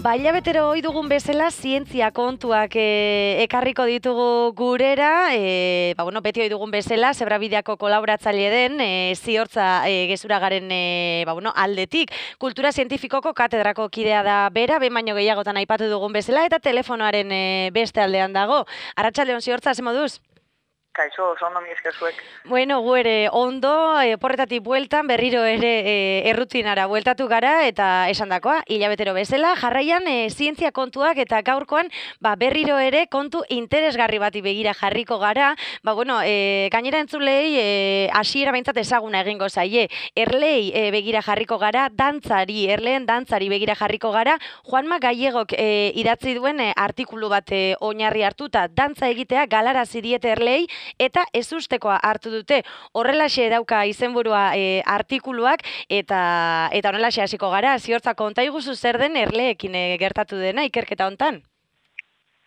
Hilabetero ohi dugun bezala zientzia kontuak ekarriko ditugu gurera, beti ohi dugun bezala, Zebrabideako kolaboratzaile den Ziortza gezuragaren aldetik. Kultura zientifikoko katedrako kidea da bera, behin baino gehiagotan aipatu dugun bezala, eta telefonoaren beste aldean dago. Arratsalde on, Ziortza, ze moduz? Kaixo, oso ondo mi esker zuek. Bueno, gu ere ondo, porretatik bueltan, berriro ere errutinara bueltatu gara, eta esandakoa, hilabetero bezala, jarraian zientzia kontuak eta gaurkoan berriro ere kontu interesgarri bati begira jarriko gara. Gainera entzulei hasiera behintzat ezaguna egingo zaie. Erlei begira jarriko gara, erleen dantzari begira jarriko gara, Juanma Gallegok idatzi duen artikulu bat oinarri hartuta, dantza egitea galarazi diete erlei, eta ezustekoa hartu dute. Horrelaxe dauka izenburua artikuluak, eta horrelaxe hasiko gara. Ziortza, konta iguzu zer den erleekin gertatu dena ikerketa hontan?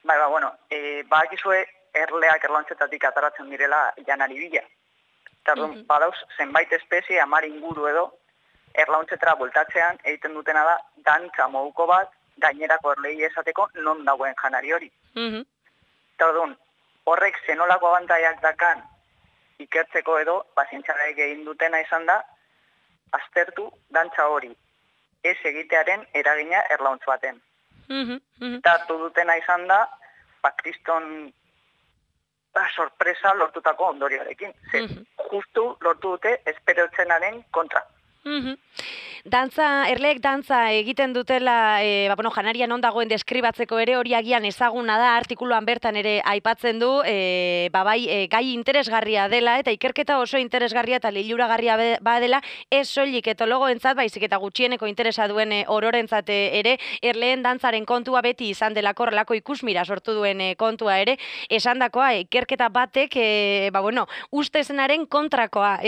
Badakizue erleak erlauntxetatik ataratzen direla janari bila. Eta badauz, zenbait espezie, 10 inguru edo, erlauntxetara bueltatzean egiten dutena da dantza moduko bat gainerako erlei esateko non dagoen janari hori. Eta horrek zenolako abantaiak dakan ikertzeko edo, zientzialariek egin dutena izan da, aztertu dantza hori ez egitearen eragina erlauntz baten. Eta hartu dutena izan da, kriston sorpresa lortutako ondorioarekin. Justu lortu dute esperotzenaren kontra. Erleek dantza egiten dutela, janarian non dagoen deskribatzeko ere, hori agian ezaguna da, artikuluan bertan ere aipatzen du, gai interesgarria dela, eta ikerketa oso interesgarria eta liluragarria badela, ez soilik etologoentzat, baizik eta gutxieneko interesa duen ororentzat ere, erleen dantzaren kontua beti izan delako horrelako ikusmira sortu duen kontua ere, esandakoa ikerketa batek, ustezenaren kontrakoa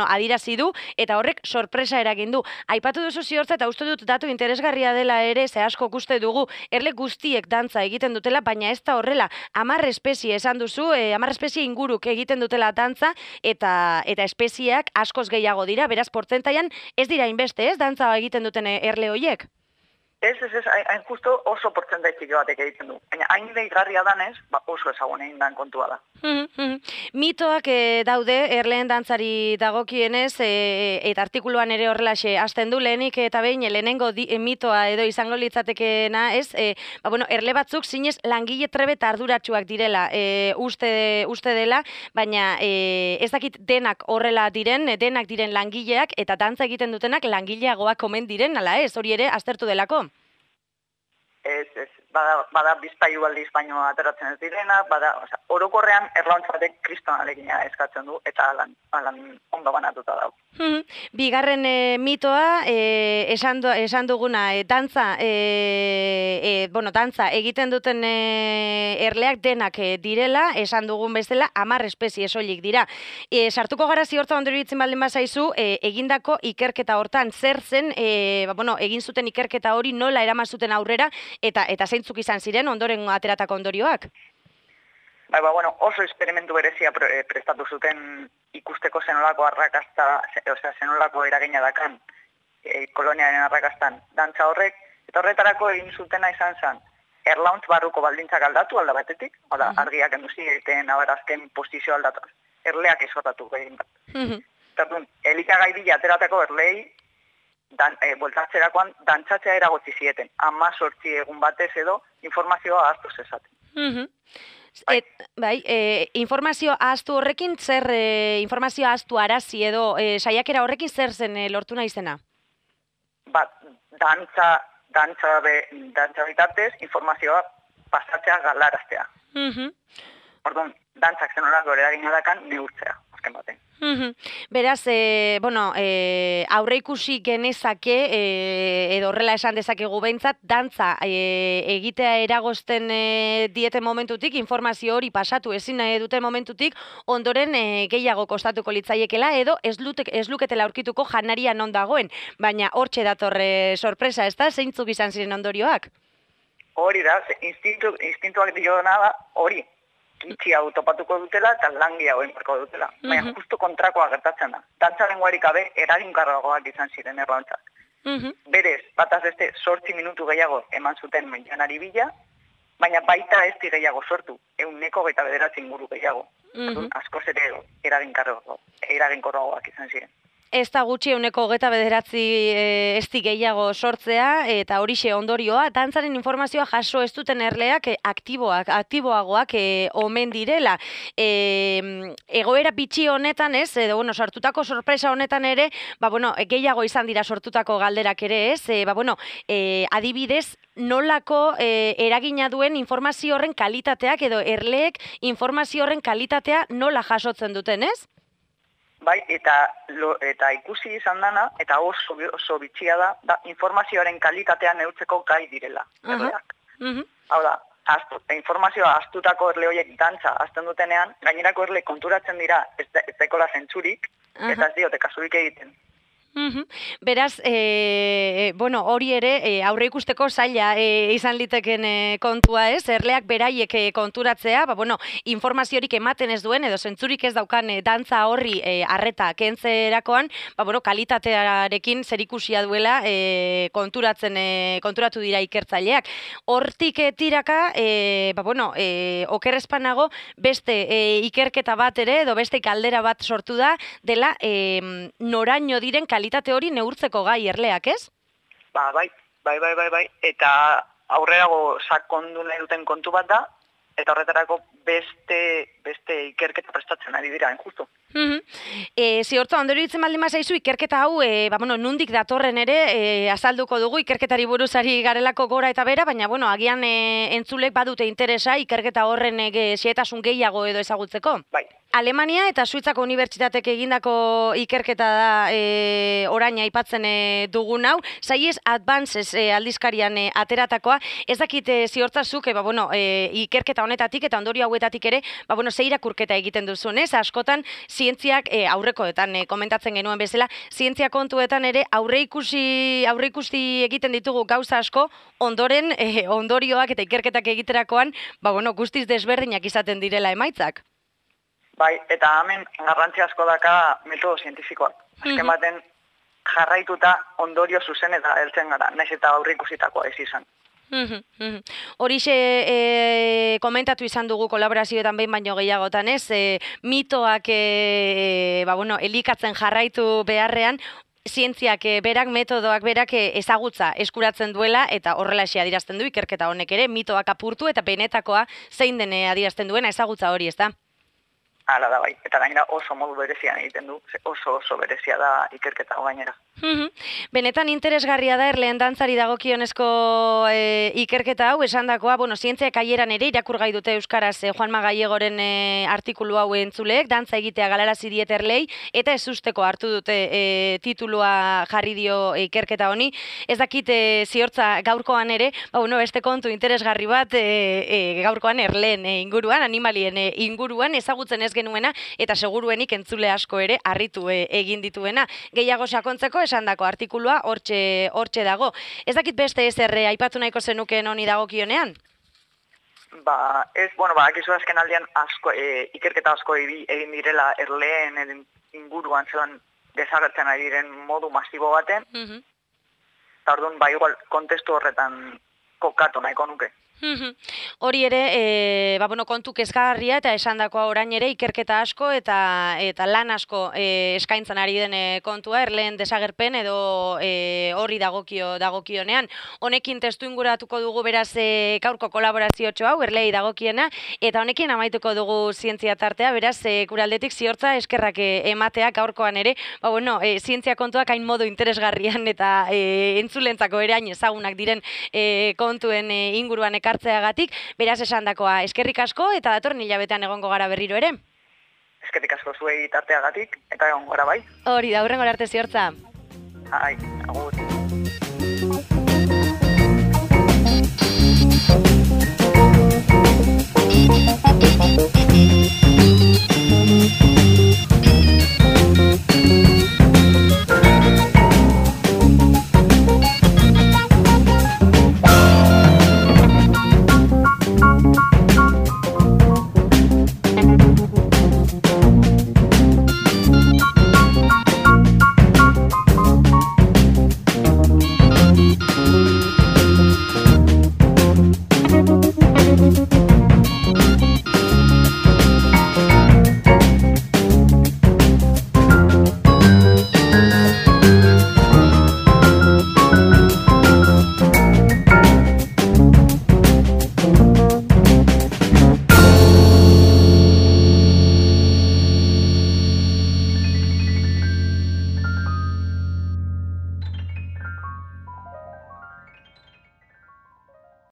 adirazi du, eta horrek sorpresa eragin du. Aipatu duzu Ziortza, eta uste dut datu interesgarria dela ere, ze asko uste dugu, erle guztiek dantza egiten dutela, baina ez da horrela, 10 espezie esan duzu, 10 espezie inguruk egiten dutela dantza, eta espezieak askoz gehiago dira, beraz, portzentaian ez dira inbeste, ez, dantza egiten duten erle hoiek? Ez, hain justo oso portzentai txiki batek egiten du. Baina hain deigarria danez, oso ezagun egin dan kontua da. Mitoak daude, erleen dantzari dagokienez, eta artikuluan ere horrelaxe hasten du, lehenik eta behin, lehenengo mitoa edo izango litzatekeena, ez? Erle batzuk zinez langile trebe eta arduratsuak direla, uste dela, baina ez dakit denak horrela diren, denak diren langileak, eta dantza egiten dutenak langileagoak omen diren, ala ez, hori ere aztertu delako? Ez, bada bizpailu aldiz baino ateratzen ez direna, orokorrean erlauntz batek kristonarekina eskatzen du, eta alan ondo banatuta dago. Bigarren mitoa, esan duguna, dantza egiten duten erleak denak direla, esan dugun bezala, 10 espezie soilik dira. Sartuko gara Ziortza ondo iruditzen baldin bazaizu, egindako ikerketa hortan, zer zen, egin zuten ikerketa hori nola eraman zuten aurrera, eta zeintzuk izan ziren ondoren ateratako ondorioak? Oso esperimentu berezia prestatu zuten ikusteko zenolako arrakasta, zenolako eragina dakan koloniaren arrakastan dantza horrek, eta horretarako egin zutena izan zen, erlauntz barruko baldintzak aldatu alda batetik, argiak enduzi egiten abarazken posizio aldatu, erleak izorratu egin bat. Elikagai bila ateratako erlei, bueltatzerakoan dantzatzea eragotzi zieten, 18 egun batez edo informazioa ahaztu zezaten. Informazio ahaztu horrekin, zer informazio ahaztu arazi edo saiakera horrekin zer zen lortu nahi zena? Dantza bitartez informazioa pasatzea galaraztea. Orduan, dantzak zenolako eragina dakan neurtzea, azken baten. Beraz, aurre ikusi genezake, edo horrela esan dezakegu behintzat, dantza egitea eragozten dieten momentutik, informazio hori pasatu ezin duten momentutik, ondoren gehiago kostatuko litzaiekela, edo ez luketela aurkituko janaria non dagoen, baina hortxe datorre sorpresa, ez da, zeintzuk izan ziren ondorioak? Hori da, instintuak diona da, hori. Itxi hau topatuko dutela eta langi hau enparko dutela. Baina justu kontrakoa gertatzen da. Dantzaren guarik gabe eraginkarragoak izan ziren erlauntzak. Berez, bataz beste 8 minutu gehiago eman zuten janari bila, baina baita ez gehiago sortu, 129 inguru gehiago. Askoz ere eraginkorragoak izan ziren. Ez da gutxi 129 ezti gehiago sortzea, eta horixe ondorioa, dantzaren informazioa jaso ez duten erleak aktiboagoak omen direla. Egoera bitxi honetan ez, edo sortutako sorpresa honetan ere, gehiago izan dira sortutako galderak ere ez, adibidez, nolako eragina duen informazio horren kalitateak edo erleek informazio horren kalitatea nola jasotzen duten ez? Bai, eta ikusi izan dana, eta oso bitxia da informazioaren kalitatea neurtzeko gai direla. Hau da, informazioa astutako erle horiek dantza azten dutenean, gainerako erle konturatzen dira ez daikola zentzurik, eta ez diote kasurik egiten. Beraz, hori ere aurre ikusteko zaila izan liteken kontua ez, erleak beraiek konturatzea, informaziorik ematen ez duen edo zentzurik ez daukan dantza horri arreta kentzerakoan, kalitatearekin zerikusia duela konturatu dira ikertzaileak. Hortik tiraka, okerrezpanago beste ikerketa bat ere edo beste galdera bat sortu da dela noraino diren kalitate hori neurtzeko gai erleak, ez? Bai. Eta aurrerago sakondu nahi duten kontu bat da, eta horretarako beste ikerketa prestatzen ari dira, justu. Ziorto, ondori ditzen baldin bazaizu, ikerketa hau, nundik datorren ere, azalduko dugu, ikerketari buruzari garelako gora eta bera, baina, agian entzulek badute interesa, ikerketa horren xehetasun gehiago edo ezagutzeko. Bai. Alemania eta Suitzako unibertsitatek egindako ikerketa da orain aipatzen dugun hau, Science Advances aldizkarian ateratakoa, ez dakit ziortzazuk, ikerketa honetatik eta ondorio hauetatik ere, ze irakurketa egiten duzun, ez? Askotan, zientziak aurrekoetan komentatzen genuen bezala, zientzia kontuetan ere aurreikusi egiten ditugu gauza asko, ondoren ondorioak eta ikerketak egiterakoan, guztiz desberdinak izaten direla emaitzak. Bai, eta hemen garrantzi asko daka metodo zientifikoak. Azken baten jarraituta ondorio zuzen eta heltzen gara, nahiz eta aurreikusitakoa ez izan. Horixe komentatu izan dugu kolaborazioetan behin baino gehiagotan, ez? Mitoak elikatzen jarraitu beharrean, zientziak berak, metodoak berak ezagutza eskuratzen duela eta horrela adierazten du ikerketa honek ere, mitoak apurtu eta benetakoa zein den adierazten duena ezagutza hori, ez da? Hala da bai, eta gainera oso modu berezian egiten du, oso berezia da ikerketa gainera. Benetan interesgarria da erleen dantzari dagokionezko ikerketa hau, esandakoa, zientziak aieran ere irakurgai dute euskaraz Juanma Gallegoren artikulu hau entzuleek, dantza egitea galarazi diet erlei, eta ez usteko hartu dute titulua jarri dio ikerketa honi. Ez dakit ziortza gaurkoan ere, beste kontu interesgarri bat gaurkoan erleen inguruan, animalien inguruan, ezagutzen ez genuena, eta seguruenik entzule asko ere harritu egin dituena. Gehiago sakontzeko esandako artikulua hortxe dago. Ez dakit beste ezer aipatu nahiko zenukeen honi dagokionean? Akizu azken aldean ikerketa asko egin direla erleen inguruan zelan desagertzen ari diren modu masibo baten, eta orduan igual kontestu horretan kokatu nahiko nuke. Hori ere, kontu kezkagarria eta esandakoa orain ere ikerketa asko eta lan asko eskaintzen ari den kontua, erleen desagerpen edo horri dagokionean. Honekin testu inguratuko dugu beraz gaurko kolaborazio hau, erlei dagokiena, eta honekin amaituko dugu zientzia tartea, beraz kuraldetik ziortza eskerrak emateak gaurkoan ere, zientzia kontuak hain modu interesgarrian eta entzulentzako ere hain ezagunak diren kontuen inguruan ekartzeagatik, beraz esandakoa eskerrik asko eta datorren hilabetean egongo gara berriro ere. Eskerrik asko zuei tarteagatik eta egongo gara bai. Hori da, hurrengora arte ziortza. Agur.